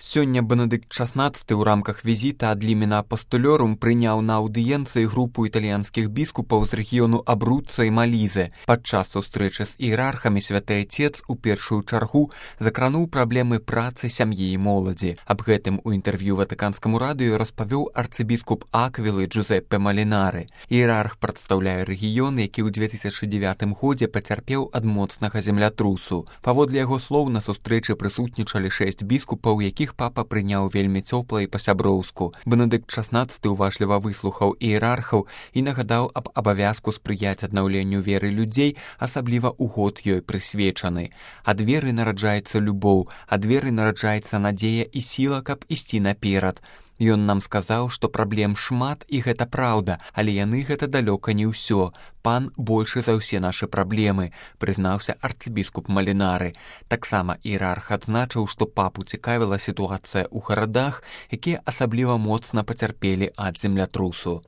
Сёння Бенедыкт XVI ў рамках візіта ад Лімена Апостолёрум прыняў на аўдыенцыі групу італьянскіх біскупаў з рэгіёну Абруцца і Малізе. Падчас сустрэчы з іерархамі святы Отец у першую чаргу закрануў праблемы працы, сям'і і моладзі. Аб гэтым у інтэрв'ю Ватыканскаму радыё распавёў арцыбіскуп Аквілы Джузеппе Малінары. Іерарх прадстаўляе рэгіён, які ў 2009 годзе пацярпеў ад моцнага землятрусу. Паводле яго слоў, на сустрэчы прысутнічалі 6 біскупаў, якіх папа прыняў вельмі цёпла і па-сяброўску. Бенедыкт XVI уважліва выслухаў іерархаў і нагадаў аб абавязку спрыяць аднаўленню веры людзей, асабліва ў год ёй прысвечаны. Ад веры нараджаецца любоў, ад веры нараджаецца надзея і сіла, каб ісці наперад. Ён нам сказаў, што праблем шмат, і гэта праўда, але яны гэта далёка не ўсё. Пан большы за ўсе нашы праблемы, прызнаўся арцыбіскуп Малінары. Таксама іерарх адзначыў, што папу цікавіла сітуацыя ў гарадах, якія асабліва моцна пацярпелі ад землятрусу.